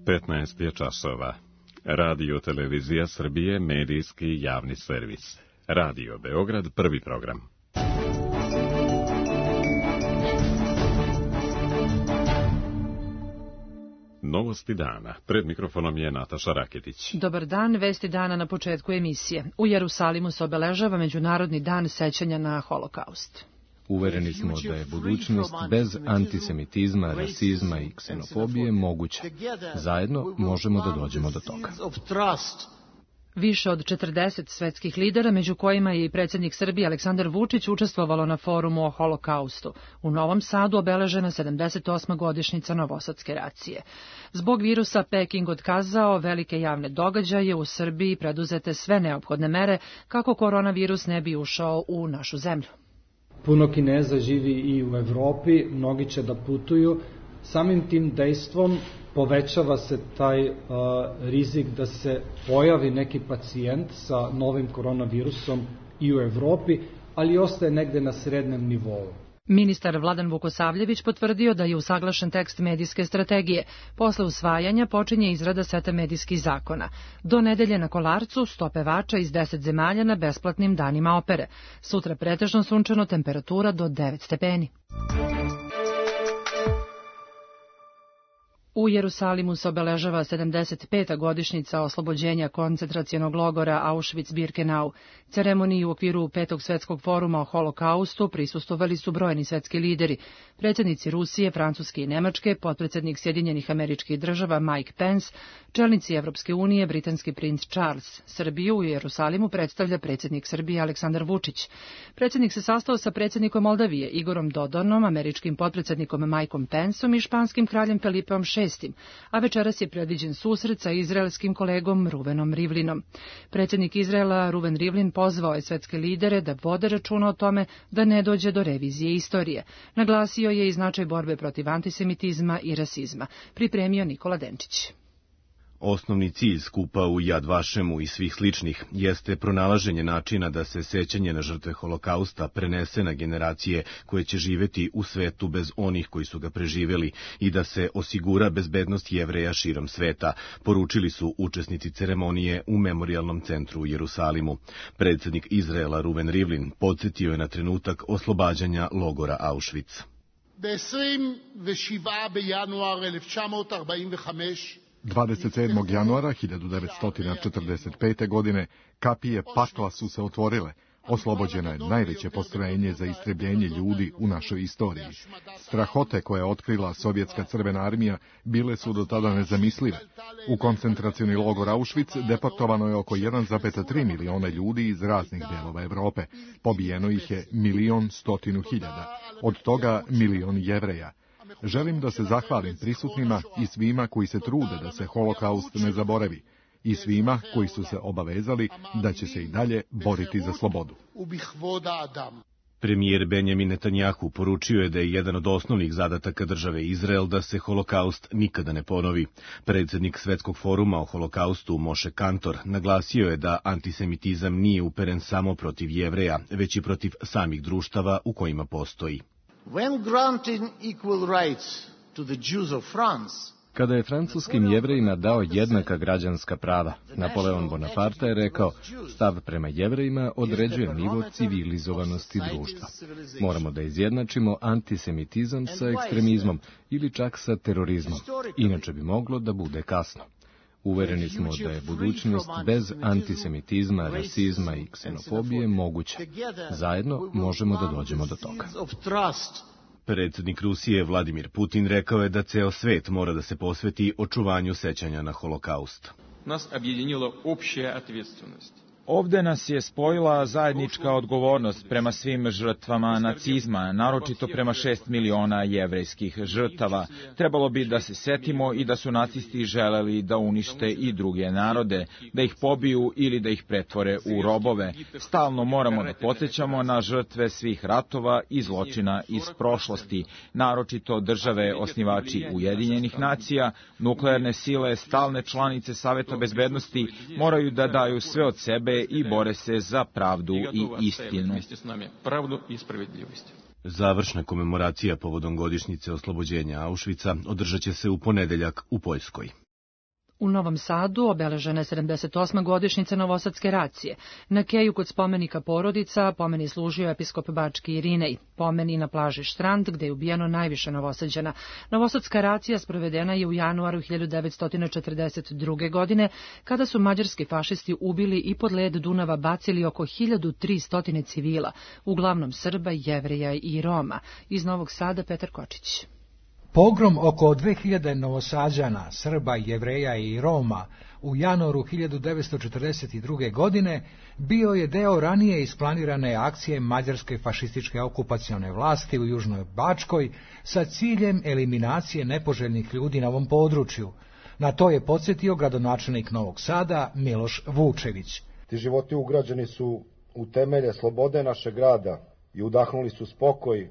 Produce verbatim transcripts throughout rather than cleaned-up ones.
petnaest je časova. Radio Televizija Srbije, medijski javni servis. Radio Beograd, prvi program. Novosti dana. Pred mikrofonom je Nataša Raketić. Dobar dan, vesti dana na početku emisije. U Jerusalimu se obeležava Međunarodni dan sećanja na Holokaust. Uvereni smo da je budućnost bez antisemitizma, rasizma i ksenofobije moguća. Zajedno možemo da dođemo do toga. Više od četrdeset svetskih lidera, među kojima je i predsjednik Srbije Aleksandar Vučić, učestvovalo na forumu o Holokaustu. U Novom Sadu obeležena sedamdeset osma godišnjica Novosadske racije. Zbog virusa Peking otkazao velike javne događaje, u Srbiji preduzete sve neophodne mere kako koronavirus ne bi ušao u našu zemlju. Puno Kineza živi i u Evropi, mnogi će da putuju. Samim tim dejstvom povećava se taj uh, rizik da se pojavi neki pacijent sa novim koronavirusom i u Evropi, ali ostaje negde na srednjem nivou. Ministar Vladan Vukosavljević potvrdio da je usaglašen tekst medijske strategije. Posle usvajanja počinje izrada seta medijskih zakona. Do nedelje na Kolarcu sto pevača iz deset zemalja na besplatnim danima opere. Sutra pretežno sunčano, temperatura do devet stepeni. U Jerusalimu se obeležava sedamdeset peta godišnjica oslobođenja koncentracionog logora Auschwitz-Birkenau. Ceremoniji u okviru petog svetskog foruma o Holokaustu prisustvovali su brojni svetski lideri, predsjednici Rusije, Francuske i Nemačke, potpredsjednik Sjedinjenih Američkih Država Mike Pence, čelnici Evropske unije, britanski princ Charles. Srbiju u Jerusalimu predstavlja predsjednik Srbije Aleksandar Vučić. Predsjednik se sastao sa predsjednikom Moldavije Igorom Dodonom, američkim potpredsjednikom Mikeom Penceom i španskim kraljem Felipeom šestim, a večeras je predviđen susret sa izraelskim kolegom Ruvenom Rivlinom. Predsjednik Izraela Ruven Rivlin pozvao je svetske lidere da vode računa o tome da ne dođe do revizije istorije. Naglasio je i značaj borbe protiv antisemitizma i rasizma. Pripremio Nikola Denčić. Osnovni cilj skupa u Jad Vašemu i svih sličnih jeste pronalaženje načina da se sećanje na žrtve Holokausta prenese na generacije koje će živeti u svetu bez onih koji su ga preživjeli i da se osigura bezbednost Jevreja širom sveta, poručili su učesnici ceremonije u Memorijalnom centru u Jerusalimu. Predsjednik Izraela Ruven Rivlin podsjetio je na trenutak oslobađanja logora Auschwitz. dvadeset sedmog januara hiljadu devetsto četrdeset pete. godine kapije pakla su se otvorile. Oslobođeno je najveće postrojenje za istrebljenje ljudi u našoj istoriji. Strahote koje je otkrila sovjetska crvena armija bile su do tada nezamislive. U koncentracioni logor Auschwitz deportovano je oko jedan zarez tri miliona ljudi iz raznih delova Evrope. Pobijeno ih je milion stotinu hiljada, od toga milion Jevreja. Želim da se zahvalim prisutnima i svima koji se trude da se Holokaust ne zaboravi i svima koji su se obavezali da će se i dalje boriti za slobodu. Premijer Benjamin Netanjahu poručio je da je jedan od osnovnih zadataka države Izrael da se Holokaust nikada ne ponovi. Predsjednik Svetskog foruma o Holokaustu Moshe Kantor naglasio je da antisemitizam nije uperen samo protiv Jevreja, već i protiv samih društava u kojima postoji. Kada je francuskim Jevrejima dao jednaka građanska prava, Napoleon Bonaparte je rekao, stav prema Jevrejima određuje nivo civilizovanosti društva. Moramo da izjednačimo antisemitizam sa ekstremizmom ili čak sa terorizmom, inače bi moglo da bude kasno. Uvereni smo da je budućnost bez antisemitizma, rasizma i ksenofobije moguća. Zajedno možemo da dođemo do toga. Predsjednik Rusije Vladimir Putin rekao je da ceo svet mora da se posveti očuvanju sećanja na Holokaust. Nas objedinila opća odgovornost. Ovde nas je spojila zajednička odgovornost prema svim žrtvama nacizma, naročito prema šest miliona jevrejskih žrtava. Trebalo bi da se setimo i da su nacisti želeli da unište i druge narode, da ih pobiju ili da ih pretvore u robove. Stalno moramo da podsjećamo na žrtve svih ratova i zločina iz prošlosti, naročito države osnivači Ujedinjenih nacija, nuklearne sile, stalne članice Saveta bezbednosti moraju da daju sve od sebe i bore se za pravdu i istinu. Završna komemoracija povodom godišnjice oslobođenja Auschwitza održat će se u ponedeljak u Poljskoj. U Novom Sadu obeležena je sedamdeset osma godišnjica Novosadske racije. Na keju kod spomenika Porodica pomen je služio episkop Bački Irinej. Pomen i na plaži Štrand, gde je ubijeno najviše Novosađana. Novosadska racija sprovedena je u januaru hiljadu devetsto četrdeset druge. godine, kada su mađarski fašisti ubili i pod led Dunava bacili oko hiljadu tristo civila, uglavnom Srba, Jevreja i Roma. Iz Novog Sada Petar Kočić. Pogrom oko dve hiljade Novosađana, Srba, Jevreja i Roma u januaru hiljadu devetsto četrdeset druge. godine bio je deo ranije isplanirane akcije mađarske fašističke okupacione vlasti u Južnoj Bačkoj sa ciljem eliminacije nepoželjnih ljudi na ovom području. Na to je podsjetio gradonačelnik Novog Sada Miloš Vučević. Ti životi ugrađeni su u temelje slobode našeg grada i udahnuli su spokoj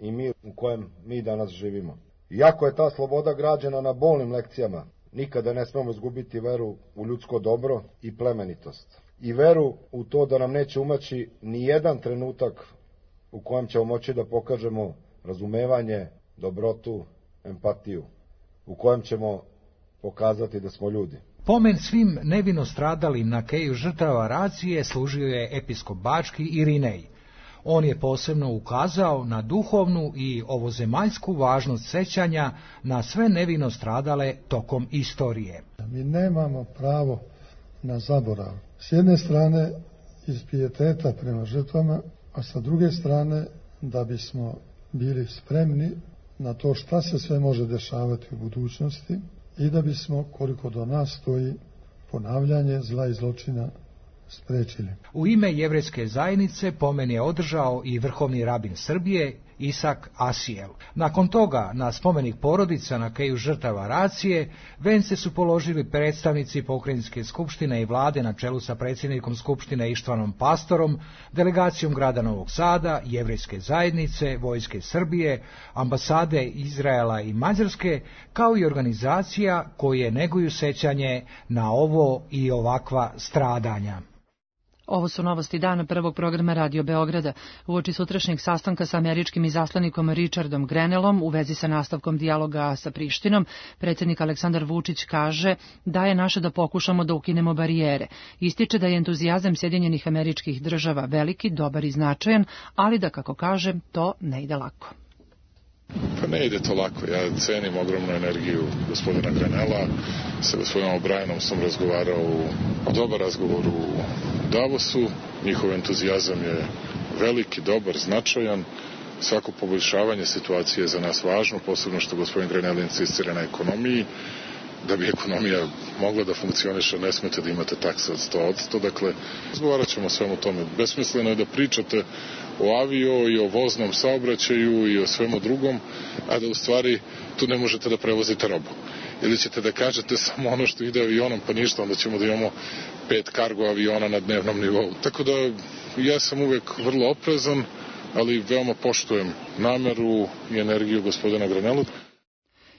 i mir u kojem mi danas živimo. Iako je ta sloboda građena na bolnim lekcijama, nikada ne smemo izgubiti veru u ljudsko dobro i plemenitost. I veru u to da nam neće umaći ni jedan trenutak u kojem ćemo moći da pokažemo razumevanje, dobrotu, empatiju, u kojem ćemo pokazati da smo ljudi. Pomen svim nevino stradalim na keju žrtava racije služio je episkop Bački Irinej. On je posebno ukazao na duhovnu i ovozemaljsku važnost sećanja na sve nevino stradale tokom istorije. Mi nemamo pravo na zaborav. S jedne strane iz pijeteta prema žrtvama, a sa druge strane da bismo bili spremni na to šta se sve može dešavati u budućnosti i da bismo, koliko do nas stoji, ponavljanje zla i zločina sprečili. U ime jevrejske zajednice pomen je održao i vrhovni rabin Srbije Isak Asijel. Nakon toga na spomenik Porodica na keju žrtava racije vence su položili predstavnici Pokrajinske skupštine i vlade na čelu sa predsjednikom skupštine Ištvanom Pastorom, delegacijom grada Novog Sada, jevrejske zajednice, Vojske Srbije, ambasade Izraela i Mađarske, kao i organizacija koje neguju sećanje na ovo i ovakva stradanja. Ovo su novosti dana prvog programa Radio Beograda. Uoči sutrašnjeg sastanka sa američkim izaslanikom Richardom Grenellom u vezi sa nastavkom dijaloga sa Prištinom, predsjednik Aleksandar Vučić kaže da je naše da pokušamo da ukinemo barijere. Ističe da je entuzijazam Sjedinjenih Američkih Država veliki, dobar i značajan, ali da, kako kaže, to ne ide lako. Pa ne ide to lako. Ja cenim ogromnu energiju gospodina Grenella. Sa gospodinom O'Brienom sam razgovarao u dobar razgovor u Davosu. Njihov entuzijazam je veliki, dobar, značajan. Svako poboljšavanje situacije je za nas važno, posebno što gospodin Grenell insistira na ekonomiji. Da bi ekonomija mogla da funkcioniše, ne smete da imate takse od sto posto. Dakle, razgovarat ćemo o svemu tome. Besmisleno je da pričate o avio i o voznom saobraćaju i o svemu drugom, a da u stvari tu ne možete da prevozite robu. Ili ćete da kažete samo ono što ide avionom, pa ništa, onda ćemo da imamo pet kargo aviona na dnevnom nivou. Tako da ja sam uvek vrlo oprezan, ali veoma poštujem nameru i energiju gospodina Grenella.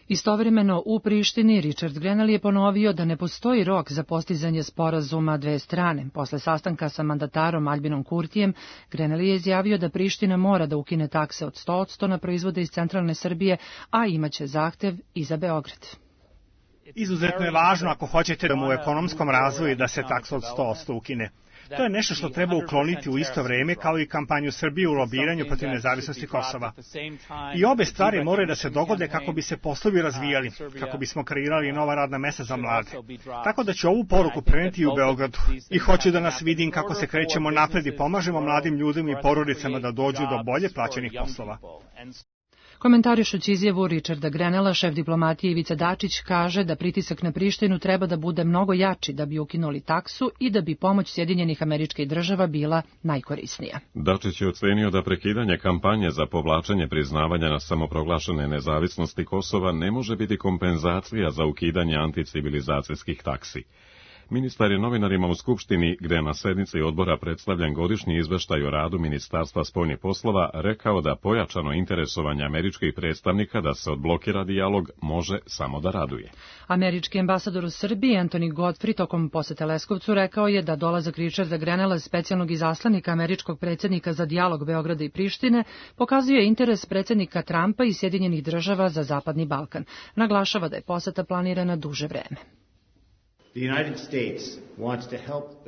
Istovremeno u Prištini Richard Grenell je ponovio da ne postoji rok za postizanje sporazuma dve strane. Posle sastanka sa mandatarom Albinom Kurtijem, Grenell je izjavio da Priština mora da ukine takse od sto posto na proizvode iz centralne Srbije, a imaće zahtev i za Beograd. Izuzetno je važno ako hoćete da mu u ekonomskom razvoju da se taksa od sto posto ukine. To je nešto što treba ukloniti u isto vreme kao i kampanju Srbije u lobiranju protiv nezavisnosti Kosova. I obe stvari moraju da se dogode kako bi se poslovi razvijali, kako bismo kreirali nova radna mesta za mlade. Tako da ću ovu poruku preneti i u Beogradu. I hoću da nas vidim kako se krećemo napred i pomažemo mladim ljudima i porodicama da dođu do bolje plaćenih poslova. Komentarišući izjavu Richarda Grenella, šef diplomatije Ivica Dačić kaže da pritisak na Prištinu treba da bude mnogo jači da bi ukinuli taksu i da bi pomoć Sjedinjenih Američkih Država bila najkorisnija. Dačić je ocenio da prekidanje kampanje za povlačenje priznavanja na samoproglašene nezavisnosti Kosova ne može biti kompenzacija za ukidanje anticivilizacijskih taksi. Ministar je novinarima u Skupštini, gde je na sednici odbora predstavljen godišnji izveštaj o radu Ministarstva spoljnih poslova, rekao da pojačano interesovanje američkih predstavnika da se odblokira dijalog može samo da raduje. Američki ambasador u Srbiji, Anthony Godfrey, tokom posete Leskovcu rekao je da dolazak Richarda Grenella, specijalnog izaslanika američkog predsjednika za dijalog Beograda i Prištine, pokazuje interes predsjednika Trumpa i Sjedinjenih Država za Zapadni Balkan. Naglašava da je poseta planirana duže vreme.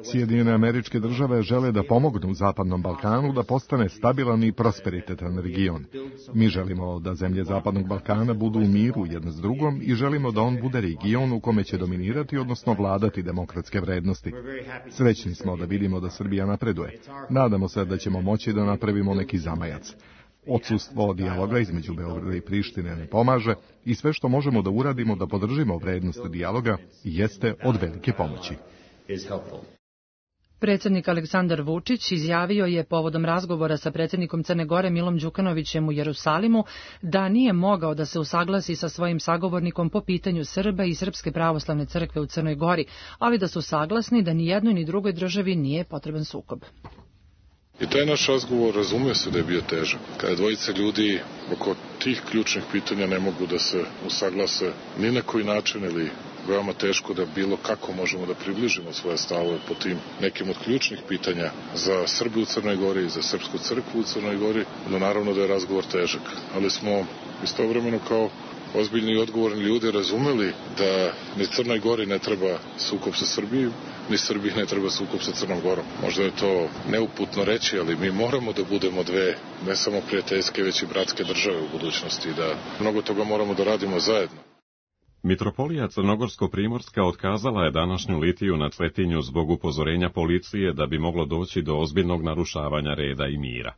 Sjedinjene Američke Države žele da pomognu Zapadnom Balkanu da postane stabilan i prosperitetan region. Mi želimo da zemlje Zapadnog Balkana budu u miru jedna s drugom i želimo da on bude region u kome će dominirati, odnosno vladati demokratske vrednosti. Srećni smo da vidimo da Srbija napreduje. Nadamo se da ćemo moći da napravimo neki zamajac. Odsustvo dijaloga između Beograda i Prištine ne pomaže i sve što možemo da uradimo da podržimo vrednost dijaloga jeste od velike pomoći. Predsjednik Aleksandar Vučić izjavio je povodom razgovora sa predsjednikom Crne Gore Milom Đukanovićem u Jerusalimu da nije mogao da se usaglasi sa svojim sagovornikom po pitanju Srba i Srpske pravoslavne crkve u Crnoj Gori, ali da su saglasni da ni jednoj ni drugoj državi nije potreban sukob. I taj naš razgovor razumio se da je bio težak. Kada dvojice ljudi oko tih ključnih pitanja ne mogu da se usaglase ni na koji način ili veoma teško da bilo kako možemo da približimo svoje stavove po tim nekim od ključnih pitanja za Srbiju u Crnoj Gori i za Srpsku crkvu u Crnoj Gori, no naravno da je razgovor težak. Ali smo istovremeno kao ozbiljni i odgovorni ljudi razumeli da ni Crnoj Gori ne treba sukob sa Srbijom, ni Srbiji ne treba sukob sa Crnom Gorom. Možda je to neuputno reći, ali mi moramo da budemo dve, ne samo prijateljske, već i bratske države u budućnosti, da mnogo toga moramo da radimo zajedno. Mitropolija Crnogorsko-Primorska otkazala je današnju litiju na Cetinju zbog upozorenja policije da bi moglo doći do ozbiljnog narušavanja reda i mira.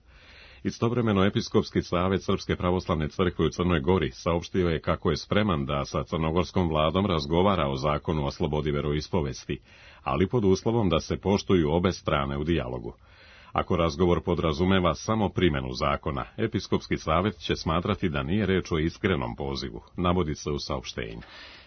Istovremeno Episkopski savet Srpske pravoslavne crkve u Crnoj Gori saopštio je kako je spreman da sa crnogorskom vladom razgovara o zakonu o slobodi veroispovesti, ali pod uslovom da se poštuju obe strane u dijalogu. Ako razgovor podrazumeva samo primjenu zakona, Episkopski savet će smatrati da nije reč o iskrenom pozivu, navodi se u saopštenju.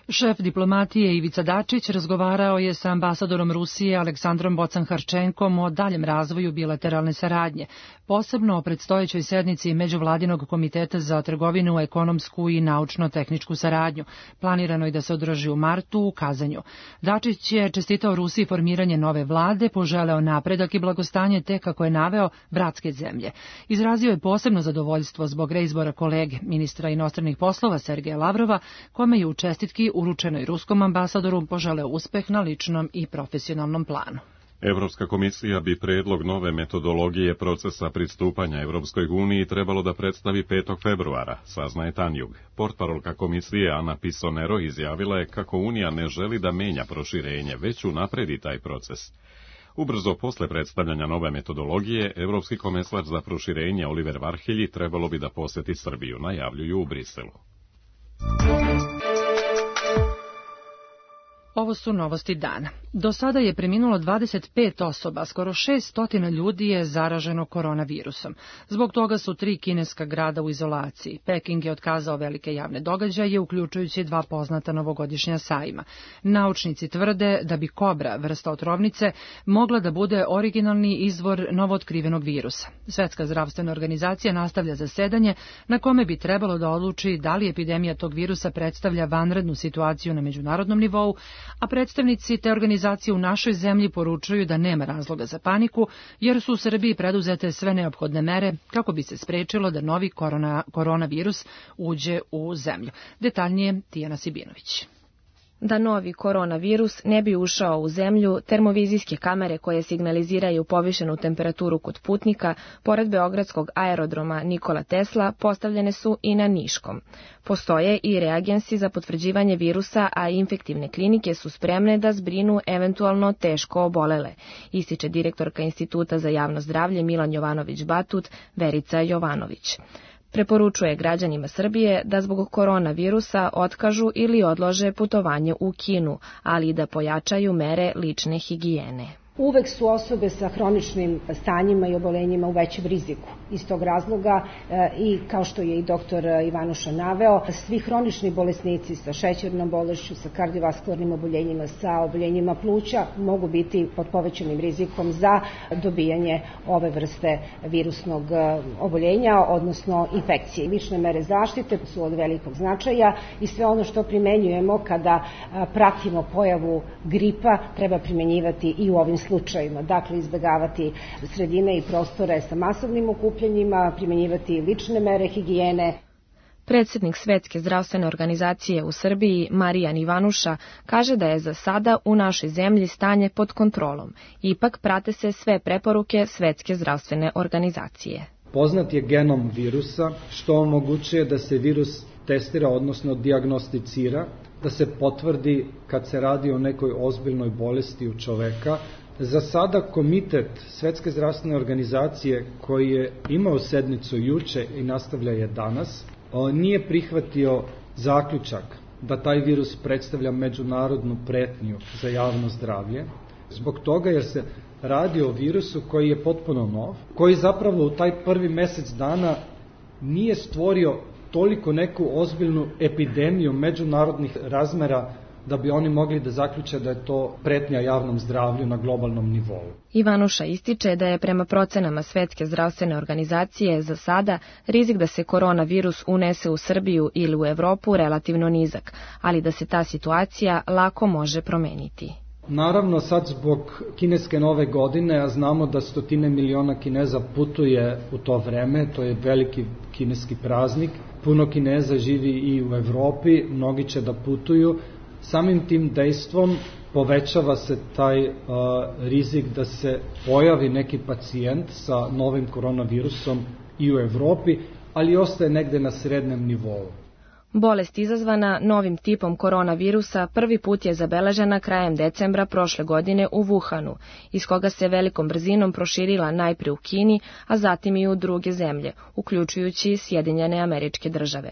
Šef diplomatije Ivica Dačić razgovarao je sa ambasadorom Rusije Aleksandrom Bocan-Harčenkom o daljem razvoju bilateralne saradnje, posebno o predstojećoj sednici Međuvladinog komiteta za trgovinu, ekonomsku i naučno-tehničku saradnju, planirano je da se održi u martu u Kazanju. Dačić je čestitao Rusiji formiranje nove vlade, poželeo napredak i blagostanje te, kako je naveo, bratske zemlje. Izrazio je posebno zadovoljstvo zbog reizbora kolege, ministra inostranih poslova Sergeja Lavrova, kome je u čestitki uručenoj ruskom ambasadoru poželeo uspeh na ličnom i profesionalnom planu. Evropska komisija bi predlog nove metodologije procesa pristupanja Evropskoj uniji trebalo da predstavi petog februara, saznaje Tanjug. Portparolka komisije Ana Pisonero izjavila je kako Unija ne želi da menja proširenje, već unapredi taj proces. Ubrzo posle predstavljanja nove metodologije, Evropski komesar za proširenje Oliver Varhelji trebalo bi da poseti Srbiju, najavljuju u Briselu. Ovo su novosti dana. Do sada je preminulo dvadeset pet osoba, skoro šessto ljudi je zaraženo koronavirusom. Zbog toga su tri kineska grada u izolaciji. Peking je otkazao velike javne događaje, uključujući dva poznata novogodišnja sajma. Naučnici tvrde da bi kobra, vrsta otrovnice, mogla da bude originalni izvor novootkrivenog virusa. Svetska zdravstvena organizacija nastavlja zasedanje na kome bi trebalo da odluči da li epidemija tog virusa predstavlja vanrednu situaciju na međunarodnom nivou, a predstavnici te organizacije u našoj zemlji poručuju da nema razloga za paniku, jer su u Srbiji preduzete sve neophodne mere kako bi se sprečilo da novi korona, koronavirus uđe u zemlju. Detaljnije Tijana Sibinović. Da novi koronavirus ne bi ušao u zemlju, termovizijske kamere koje signaliziraju povišenu temperaturu kod putnika, pored beogradskog aerodroma Nikola Tesla, postavljene su i na Niškom. Postoje i reagensi za potvrđivanje virusa, a infektivne klinike su spremne da zbrinu eventualno teško obolele, ističe direktorka Instituta za javno zdravlje Milan Jovanović-Batut, Verica Jovanović. Preporučuje građanima Srbije da zbog koronavirusa otkažu ili odlože putovanje u Kinu, ali i da pojačaju mere lične higijene. Uvek su osobe sa hroničnim stanjima i obolenjima u većem riziku. Iz tog razloga i kao što je i doktor Ivanuša naveo, svi hronični bolesnici sa šećernom bolešću, sa kardiovaskularnim oboljenjima, sa oboljenjima pluća mogu biti pod povećanim rizikom za dobijanje ove vrste virusnog oboljenja, odnosno infekcije. Lične mere zaštite su od velikog značaja i sve ono što primenjujemo kada pratimo pojavu gripa treba primenjivati i u ovim slučajima. Dakle, izbjegavati sredine i prostore sa masovnim okupljanjima, primjenjivati lične mere higijene. Predsjednik Svetske zdravstvene organizacije u Srbiji, Marijan Ivanuša, kaže da je za sada u našoj zemlji stanje pod kontrolom. Ipak prate se sve preporuke Svetske zdravstvene organizacije. Poznat je genom virusa, što omogućuje da se virus testira, odnosno dijagnosticira, da se potvrdi kad se radi o nekoj ozbiljnoj bolesti u čoveka. Za sada komitet Svetske zdravstvene organizacije, koji je imao sednicu juče i nastavlja je danas, nije prihvatio zaključak da taj virus predstavlja međunarodnu pretnju za javno zdravlje, zbog toga jer se radi o virusu koji je potpuno nov, koji zapravo u taj prvi mesec dana nije stvorio toliko neku ozbiljnu epidemiju međunarodnih razmera da bi oni mogli da zaključe da je to pretnja javnom zdravlju na globalnom nivou. Ivanuša ističe da je prema procenama Svetske zdravstvene organizacije za sada rizik da se koronavirus unese u Srbiju ili u Evropu relativno nizak, ali da se ta situacija lako može promeniti. Naravno, sad zbog kineske nove godine, a znamo da stotine miliona Kineza putuje u to vreme, to je veliki kineski praznik, puno Kineza živi i u Evropi, mnogi će da putuju, samim tim dejstvom povećava se taj uh, rizik da se pojavi neki pacijent sa novim koronavirusom i u Evropi, ali ostaje negde na srednjem nivou. Bolest izazvana novim tipom koronavirusa prvi put je zabeležena krajem decembra prošle godine u Wuhanu, iz koga se velikom brzinom proširila najpre u Kini, a zatim i u druge zemlje, uključujući Sjedinjene Američke Države.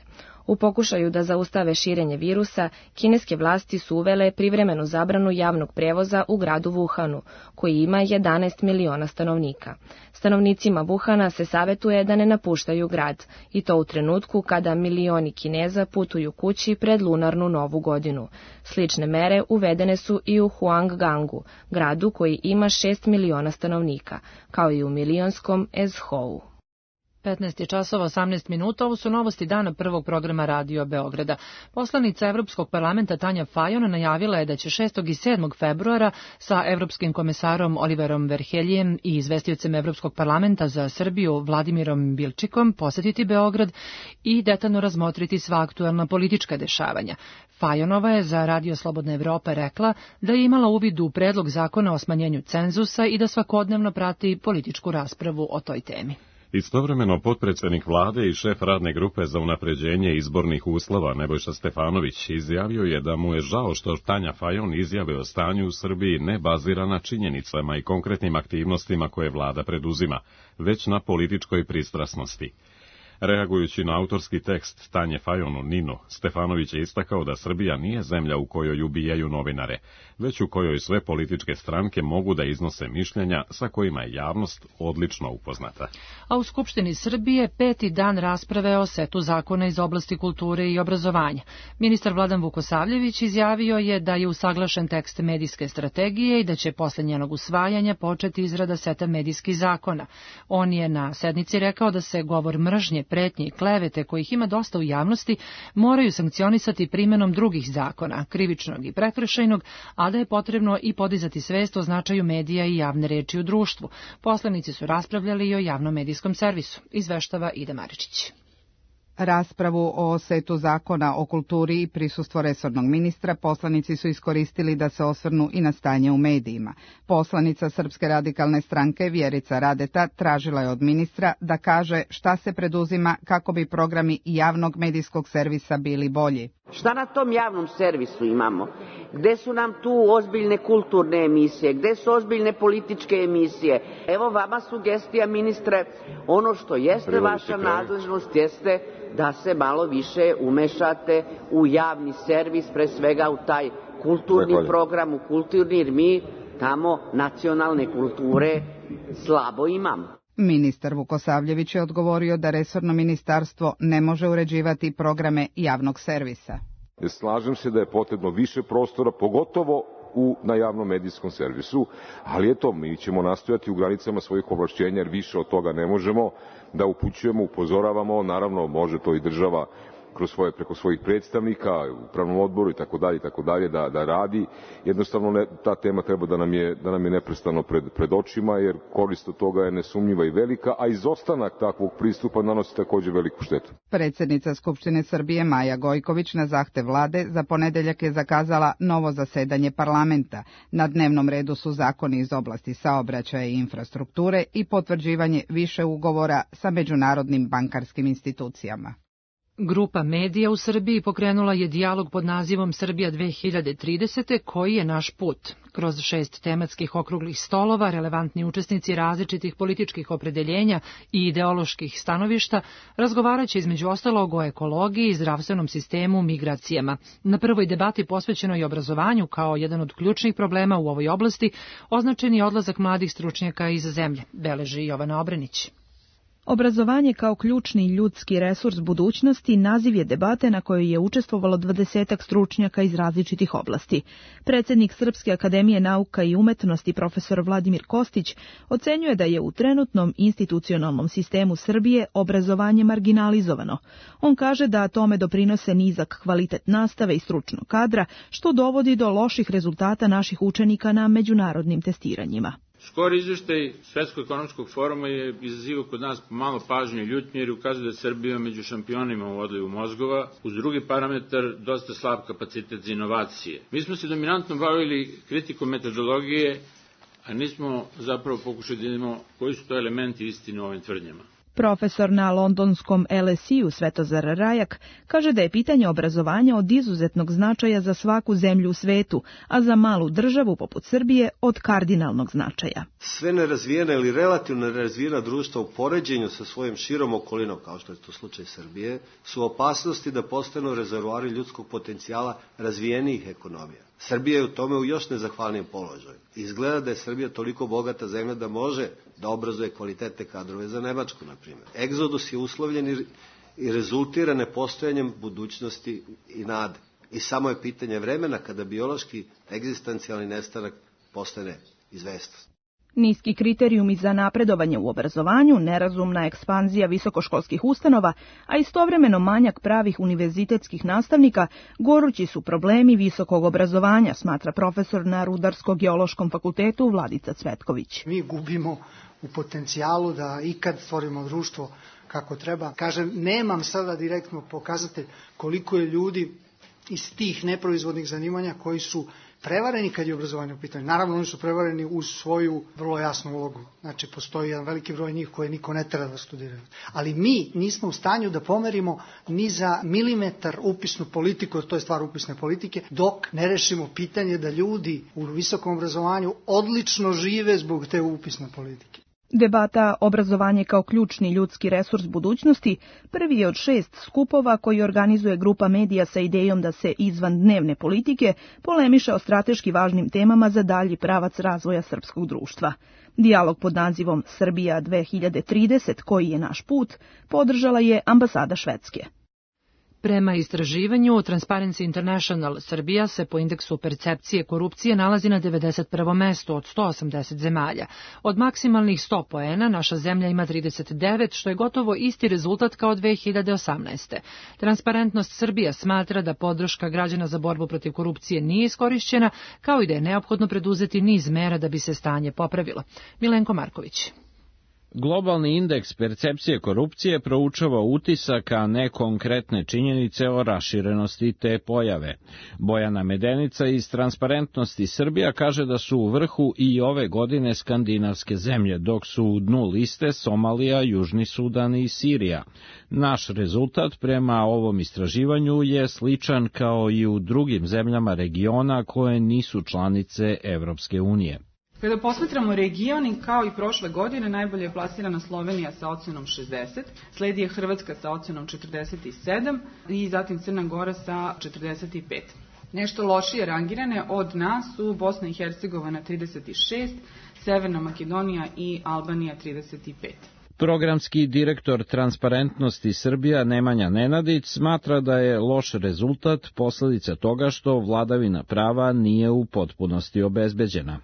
U pokušaju da zaustave širenje virusa, kineske vlasti su uvele privremenu zabranu javnog prevoza u gradu Wuhanu, koji ima jedanaest miliona stanovnika. Stanovnicima Wuhana se savetuje da ne napuštaju grad, i to u trenutku kada milioni Kineza putuju kući pred lunarnu novu godinu. Slične mere uvedene su i u Huanggangu, gradu koji ima šest miliona stanovnika, kao i u milionskom Ezhou. petnaest je časova osamnaest minuta, ovo su novosti dana prvog programa Radio Beograda. Poslanica Evropskog parlamenta Tanja Fajon najavila je da će šestog i sedmog februara sa Evropskim komesarom Oliverom Verheljem i izvestiocem Evropskog parlamenta za Srbiju Vladimirom Bilčikom posetiti Beograd i detaljno razmotriti sva aktuelna politička dešavanja. Fajonova je za Radio Slobodna Evropa rekla da je imala uvid u predlog zakona o smanjenju cenzusa i da svakodnevno prati političku raspravu o toj temi. Istovremeno, potpredsednik vlade i šef radne grupe za unapređenje izbornih uslova Nebojša Stefanović izjavio je da mu je žao što Tanja Fajon izjave o stanju u Srbiji ne bazira na činjenicama i konkretnim aktivnostima koje vlada preduzima, već na političkoj pristrasnosti. Reagujući na autorski tekst Tanje Fajon u Ninu, Stefanović je istakao da Srbija nije zemlja u kojoj ubijaju novinare, već u kojoj sve političke stranke mogu da iznose mišljenja sa kojima je javnost odlično upoznata. A u Skupštini Srbije peti dan rasprave o setu zakona iz oblasti kulture i obrazovanja. Ministar Vladan Vukosavljević izjavio je da je usaglašen tekst medijske strategije i da će posle njenog usvajanja početi izrada seta medijskih zakona. On je na sednici rekao da se govor mržnje, pretnje i klevete, kojih ima dosta u javnosti, moraju sankcionisati primenom drugih zakona, krivičnog i prekršajnog, a da je potrebno i podizati svest o značaju medija i javne reči u društvu. Poslanici su raspravljali i o javnom medijskom servisu, izveštava Ida Maričić. Raspravu o setu zakona o kulturi i prisustvo resornog ministra poslanici su iskoristili da se osvrnu i na stanje u medijima. Poslanica Srpske radikalne stranke Vjerica Radeta tražila je od ministra da kaže šta se preduzima kako bi programi javnog medijskog servisa bili bolji. Šta na tom javnom servisu imamo? Gde su nam tu ozbiljne kulturne emisije? Gde su ozbiljne političke emisije? Evo vama sugestija, ministre, ono što jeste vaša nadležnost jeste da se malo više umešate u javni servis, pre svega u taj kulturni program, u kulturni, jer mi tamo nacionalne kulture slabo imamo. Ministar Vukosavljević je odgovorio da resorno ministarstvo ne može uređivati programe javnog servisa. Slažem se da je potrebno više prostora, pogotovo u, na javnom medijskom servisu, ali eto, mi ćemo nastojati u granicama svojih ovlašćenja, jer više od toga ne možemo, da upućujemo, upozoravamo, naravno može to i država kroz svoje, preko svojih predstavnika u upravnom odboru i tako dalje i tako dalje da da radi. Jednostavno ne, ta tema treba da nam je da nam je neprestano pred pred očima, jer korist od toga je nesumnjiva i velika, a izostanak takvog pristupa nanosi takođe veliku štetu. Predsjednica Skupštine Srbije Maja Gojković na zahtev vlade za ponedeljak je zakazala novo zasedanje parlamenta. Na dnevnom redu su zakoni iz oblasti saobraćaja i infrastrukture i potvrđivanje više ugovora sa međunarodnim bankarskim institucijama. Grupa medija u Srbiji pokrenula je dijalog pod nazivom Srbija dve hiljade tridesete, koji je naš put. Kroz šest tematskih okruglih stolova, relevantni učesnici različitih političkih opredeljenja i ideoloških stanovišta razgovaraće između ostalog o ekologiji, zdravstvenom sistemu, migracijama. Na prvoj debati posvećenoj obrazovanju kao jedan od ključnih problema u ovoj oblasti označen je odlazak mladih stručnjaka iz zemlje, beleži Jovana Obrenić. Obrazovanje kao ključni ljudski resurs budućnosti naziv je debate na kojoj je učestvovalo dvadesetak stručnjaka iz različitih oblasti. Predsjednik Srpske akademije nauka i umetnosti profesor Vladimir Kostić ocenjuje da je u trenutnom institucionalnom sistemu Srbije obrazovanje marginalizovano. On kaže da tome doprinose nizak kvalitet nastave i stručnog kadra, što dovodi do loših rezultata naših učenika na međunarodnim testiranjima. Skori izveštaj Svetskog ekonomskog foruma je izazivao kod nas malo pažnje i ljutnje jer ukazuje da je Srbija među šampionima u odlivu mozgova, uz drugi parametar dosta slab kapacitet za inovacije. Mi smo se dominantno bavili kritikom metodologije, a nismo zapravo pokušali da vidimo koji su to elementi istine u ovim tvrdnjama. Profesor na londonskom L S E-u Svetozar Rajak kaže da je pitanje obrazovanja od izuzetnog značaja za svaku zemlju u svetu, a za malu državu poput Srbije od kardinalnog značaja. Sve nerazvijena ili relativno nerazvijena društva u poređenju sa svojim širom okolinom, kao što je to slučaj Srbije, su opasnosti da postanu rezervoari ljudskog potencijala razvijenijih ekonomija. Srbija je u tome u još nezahvalnijem položaju. Izgleda da je Srbija toliko bogata zemlja da može da obrazuje kvalitetne kadrove za Nemačku, na primjer. Egzodus je uslovljen i rezultira nepostojanjem budućnosti i nade. I samo je pitanje vremena kada biološki egzistencijalni nestanak postane izvesnost. Niski kriterijumi za napredovanje u obrazovanju, nerazumna ekspanzija visokoškolskih ustanova, a istovremeno manjak pravih univerzitetskih nastavnika, gorući su problemi visokog obrazovanja, smatra profesor na Rudarsko-geološkom fakultetu Vladica Cvetković. Mi gubimo u potencijalu da ikad stvorimo društvo kako treba. Kažem, nemam sada direktno pokazatelj koliko je ljudi iz tih neproizvodnih zanimanja koji su prevareni kad je obrazovanje u pitanju. Naravno, oni su prevareni uz svoju vrlo jasnu ulogu. Znači, postoji jedan veliki broj njih koje niko ne treba da studiraju. Ali mi nismo u stanju da pomerimo ni za milimetar upisnu politiku, to je stvar upisne politike, dok ne rešimo pitanje da ljudi u visokom obrazovanju odlično žive zbog te upisne politike. Debata obrazovanje kao ključni ljudski resurs budućnosti prvi je od šest skupova koji organizuje grupa medija sa idejom da se izvan dnevne politike polemiše o strateški važnim temama za dalji pravac razvoja srpskog društva. Dijalog pod nazivom Srbija dve hiljade trideset, koji je naš put, podržala je ambasada Švedske. Prema istraživanju Transparency International, Srbija se po indeksu percepcije korupcije nalazi na devedeset prvom mestu od sto osamdeset zemalja. Od maksimalnih sto poena naša zemlja ima trideset devet, što je gotovo isti rezultat kao dve hiljade osamnaeste. Transparentnost Srbija smatra da podrška građana za borbu protiv korupcije nije iskorišćena, kao i da je neophodno preduzeti niz mera da bi se stanje popravilo. Milenko Marković. Globalni indeks percepcije korupcije proučava utisak, a ne konkretne činjenice o raširenosti te pojave. Bojana Medenica iz Transparentnosti Srbija kaže da su u vrhu i ove godine skandinavske zemlje, dok su u dnu liste Somalija, Južni Sudan i Sirija. Naš rezultat prema ovom istraživanju je sličan kao i u drugim zemljama regiona koje nisu članice Evropske unije. Kada posmatramo regioni, kao i prošle godine, najbolje je plasirana Slovenija sa ocenom šezdeset, sledi je Hrvatska sa ocenom četrdeset sedam i zatim Crna Gora sa četrdeset pet. Nešto lošije rangirane od nas su Bosna i Hercegovina trideset šest, Severna Makedonija i Albanija trideset pet. Programski direktor Transparentnosti Srbija Nemanja Nenadić smatra da je loš rezultat posledica toga što vladavina prava nije u potpunosti obezbeđena.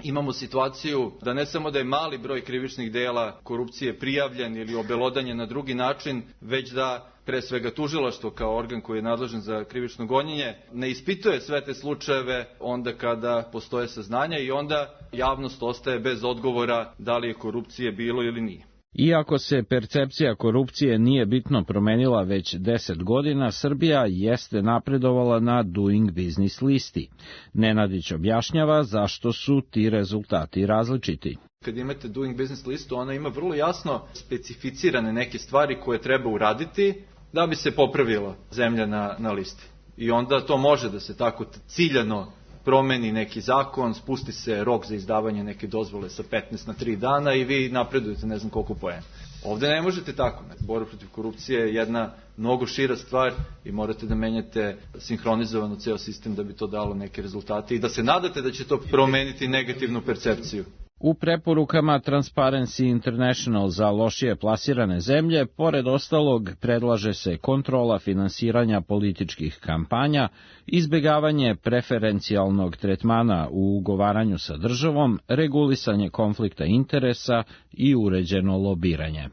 imamo situaciju da ne samo da je mali broj krivičnih dela korupcije prijavljen ili obelodanjen na drugi način, već da pre svega tužilaštvo kao organ koji je nadležan za krivično gonjenje ne ispituje sve te slučajeve onda kada postoje saznanja i onda javnost ostaje bez odgovora da li je korupcije bilo ili nije. Iako se percepcija korupcije nije bitno promenila već deset godina, Srbija jeste napredovala na Doing Business listi. Nenadić objašnjava zašto su ti rezultati različiti. Kad imate Doing Business listu, ona ima vrlo jasno specificirane neke stvari koje treba uraditi da bi se popravila zemlja na, na listi. I onda to može da se tako ciljano promeni neki zakon, spusti se rok za izdavanje neke dozvole sa petnaest na tri dana i vi napredujete ne znam koliko poena. Ovde ne možete tako. Borba protiv korupcije je jedna mnogo šira stvar i morate da menjate sinhronizovano ceo sistem da bi to dalo neke rezultate i da se nadate da će to promeniti negativnu percepciju. U preporukama Transparency International za lošije plasirane zemlje, pored ostalog, predlaže se kontrola finansiranja političkih kampanja, izbegavanje preferencijalnog tretmana u ugovaranju sa državom, regulisanje konflikta interesa i uređeno lobiranje.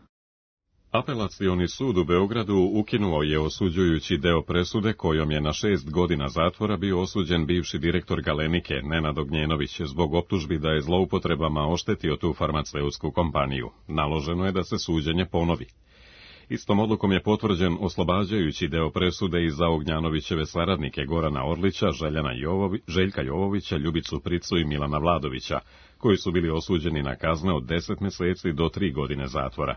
Apelacioni sud u Beogradu ukinuo je osuđujući deo presude kojom je na šest godina zatvora bio osuđen bivši direktor Galenike Nenad Ognjenović zbog optužbi da je zloupotrebama oštetio tu farmaceutsku kompaniju. Naloženo je da se suđenje ponovi. Istom odlukom je potvrđen oslobađajući deo presude i za Ognjanovićeve saradnike Gorana Orlića, Željana Jovovi, Željka Jovovića, Ljubicu Pricu i Milana Vladovića, koji su bili osuđeni na kazne od deset meseci do tri godine zatvora.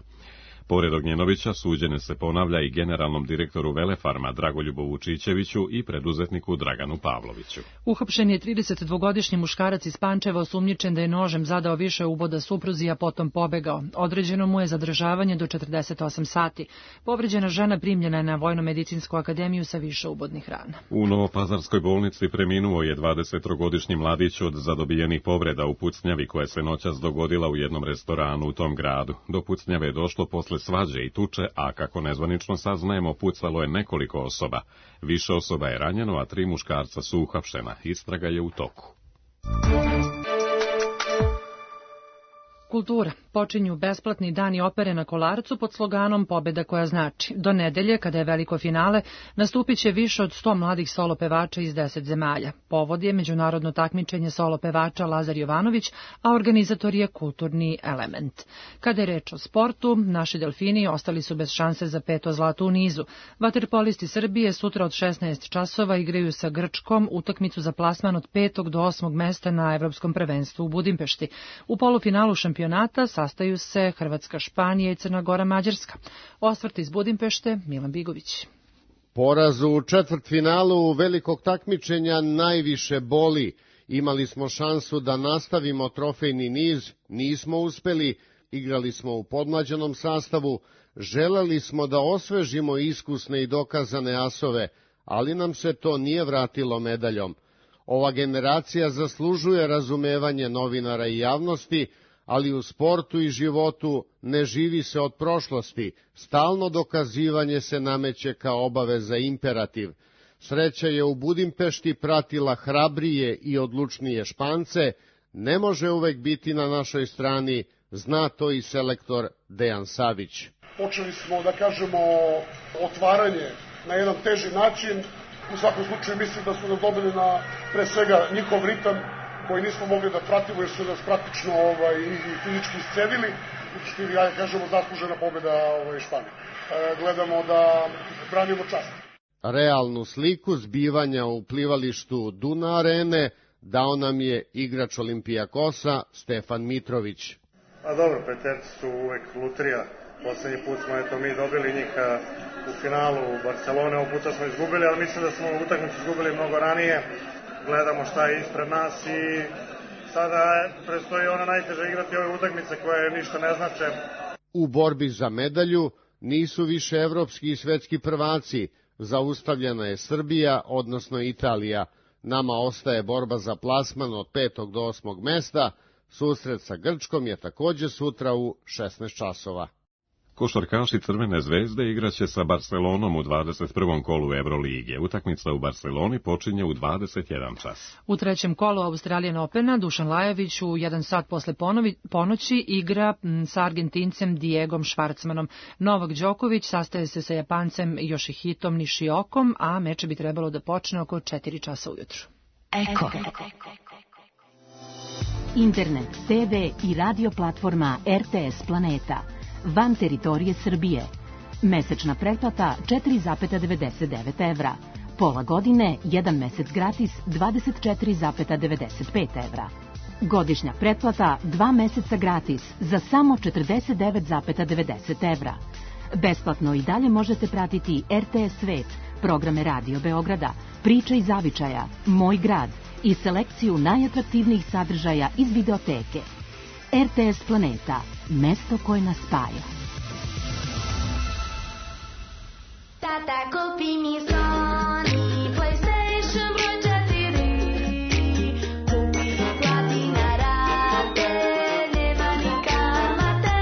Pored Ognjenovića suđenje se ponavlja i generalnom direktoru Velefarma Dragoljubu Vučićeviću i preduzetniku Draganu Pavloviću. Uhapšen je tridesetdvogodišnji muškarac iz Pančeva osumnjičen da je nožem zadao više uboda supruzi, a potom pobegao. Određeno mu je zadržavanje do četrdeset osam sati. Povređena žena primljena je na Vojno-medicinsku akademiju sa više ubodnih rana. U Novopazarskoj bolnici preminuo je dvadesettrogodišnji mladić od zadobijenih povreda u pucnjavi koja se noćas dogodila u jednom restoranu u tom gradu. Do pucnjave je došlo posle svađe i tuče, a kako nezvanično saznajemo, pucalo je nekoliko osoba. Više osoba je ranjeno, a tri muškarca su uhapšena. Istraga je u toku. Kultura. Počinju besplatni dani opere na Kolarcu pod sloganom Pobeda koja znači. Do nedelje, kada je veliko finale, nastupit će više od sto mladih solo pevača iz deset zemalja. Povod je međunarodno takmičenje solo pevača Lazar Jovanović, a organizator je Kulturni element. Kada je reč o sportu, naši delfini ostali su bez šanse za peto zlato u nizu. Vaterpolisti Srbije sutra od šesnaest časova igraju sa Grčkom utakmicu za plasman od petog do osmog mesta na Evropskom prvenstvu u Budimpešti. U polufinalu šampionata sastaju se Hrvatska, Španija i Crna Gora, Mađarska. Osvrt iz Budimpešte, Milan Bigović. Poraz u četvrtfinalu velikog takmičenja najviše boli. Imali smo šansu da nastavimo trofejni niz, nismo uspeli, igrali smo u podmlađenom sastavu, želeli smo da osvežimo iskusne i dokazane asove, ali nam se to nije vratilo medaljom. Ova generacija zaslužuje razumevanje novinara i javnosti, ali u sportu i životu ne živi se od prošlosti, stalno dokazivanje se nameće kao obaveza imperativ. Sreća je u Budimpešti pratila hrabrije i odlučnije Špance, ne može uvek biti na našoj strani, zna to i selektor Dejan Savić. Počeli smo, da kažemo, otvaranje na jedan teži način, u svakom slučaju mislim da su nam dobili na, pre svega, njihov ritam, koji nismo mogli da pratimo jer su nas praktično ovaj, i fizički iscedili, što je, ja kažemo, zaslužena pobjeda ovaj, Španije. E, gledamo da branimo čast. Realnu sliku zbivanja u plivalištu Duna Arene dao nam je igrač Olimpijakosa Stefan Mitrović. A dobro, Peterci su uvek lutrija. Poslednji put smo eto, mi dobili njih u finalu u Barcelone, ovog puta smo izgubili, ali mislim da smo utakmicu izgubili mnogo ranije. Gledamo šta je ispred nas i sada prestoji ona najteža igrati ove utakmice koje ništa ne znače. U borbi za medalju nisu više evropski i svetski prvaci, zaustavljena je Srbija, odnosno Italija. Nama ostaje borba za plasman od petog do osmog mesta, susret sa Grčkom je takođe sutra u šesnaest časova. Košarkaši Crvene zvezde igraće sa Barcelonom u dvadeset prvom kolu Evrolige. Utakmica u Barceloni počinje u dvadeset jedan čas. U trećem kolu Australijan Opena Dušan Lajović u jedan sat posle ponovi, ponoći igra sa Argentincem Diegom Švarcmanom. Novak Đoković sastaje se sa Japancem Yoshihitom Nishiokom, a meč bi trebalo da počne oko četiri časa ujutru. Eko. Internet, te ve i radio platforma er te es Planeta. Van teritorije Srbije. Mesečna pretplata četiri zarez devedeset devet evra. Pola godine, jedan mesec gratis dvadeset četiri zarez devedeset pet evra. Godišnja pretplata dva meseca gratis za samo četrdeset devet zarez devedeset evra. Besplatno i dalje možete pratiti er te es Svet, programe Radio Beograda, Priče iz zavičaja, Moj grad i selekciju najatraktivnijih sadržaja iz videoteke. er te es Planeta, mesto koje nas spaja. Tata, kupi mi Sony PlayStation broj četiri. Kupi ga, plati na rate, nema ni kamate.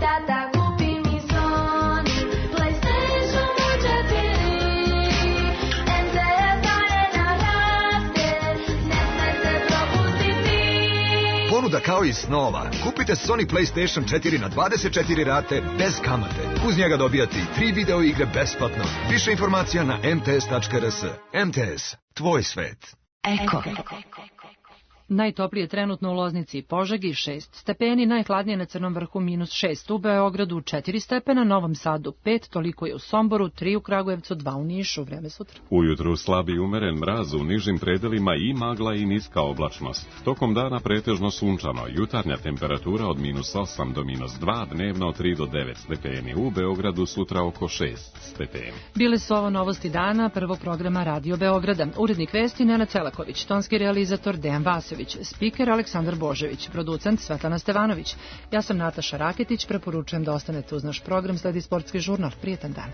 Tata, kupi mi Sony PlayStation broj četiri. em te es daje na rate, ne smete propustiti. Ponuda kao i snova. Kupite Sony PlayStation četiri na dvadeset četiri rate bez kamate. Uz njega dobijate i tri video igre besplatno. Više informacija na em te es tačka er es. em te es, tvoj svet. Eko. Najtoplije trenutno u Loznici i Požegi šest stepeni, najhladnije na Crnom vrhu minus šest, u Beogradu četiri stepena, Novom Sadu pet, toliko je u Somboru, tri u Kragujevcu, dva u Nišu, vreme sutra. Ujutru slabi umeren mraz, u nižim predelima i magla i niska oblačnost. Tokom dana pretežno sunčano, jutarnja temperatura od minus osam do minus dva, dnevno od tri do devet stepeni, u Beogradu sutra oko šest stepeni. Bile su ovo novosti dana prvog programa Radio Beograda. Urednik vesti Nenad Celaković, tonski realizator Dejan Vasović, spiker Aleksandar Božević, producent Svetlana Stevanović. Ja sam Nataša Raketić, preporučujem da ostanete uz naš program, sledi sportski žurnal. Prijetan dan.